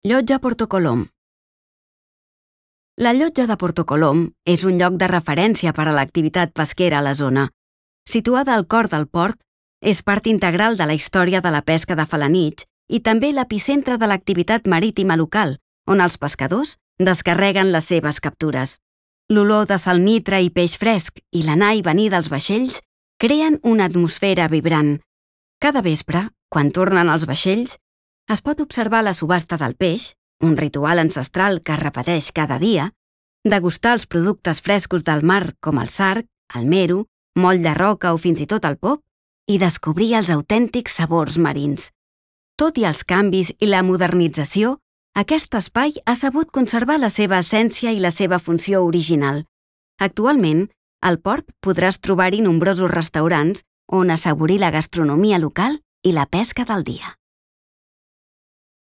Llotja Porto Colom. La Llotja de Porto Colom és un lloc de referència per a l'activitat pesquera a la zona. Situada al cor del port, és part integral de la història de la pesca de Felanitx i també l'epicentre de l'activitat marítima local, on els pescadors descarreguen les seves captures. L'olor de salnitre i peix fresc i l'anar i venir dels vaixells creen una atmosfera vibrant. Cada vespre, quan tornen els vaixells, es pot observar la subhasta del peix, un ritual ancestral que es repeteix cada dia, degustar els productes frescos del mar com el sarg, el mero, moll de roca o fins i tot el pop, i descobrir els autèntics sabors marins. Tot i els canvis i la modernització, aquest espai ha sabut conservar la seva essència i la seva funció original. Actualment, al port podràs trobar-hi nombrosos restaurants on assaborir la gastronomia local i la pesca del dia.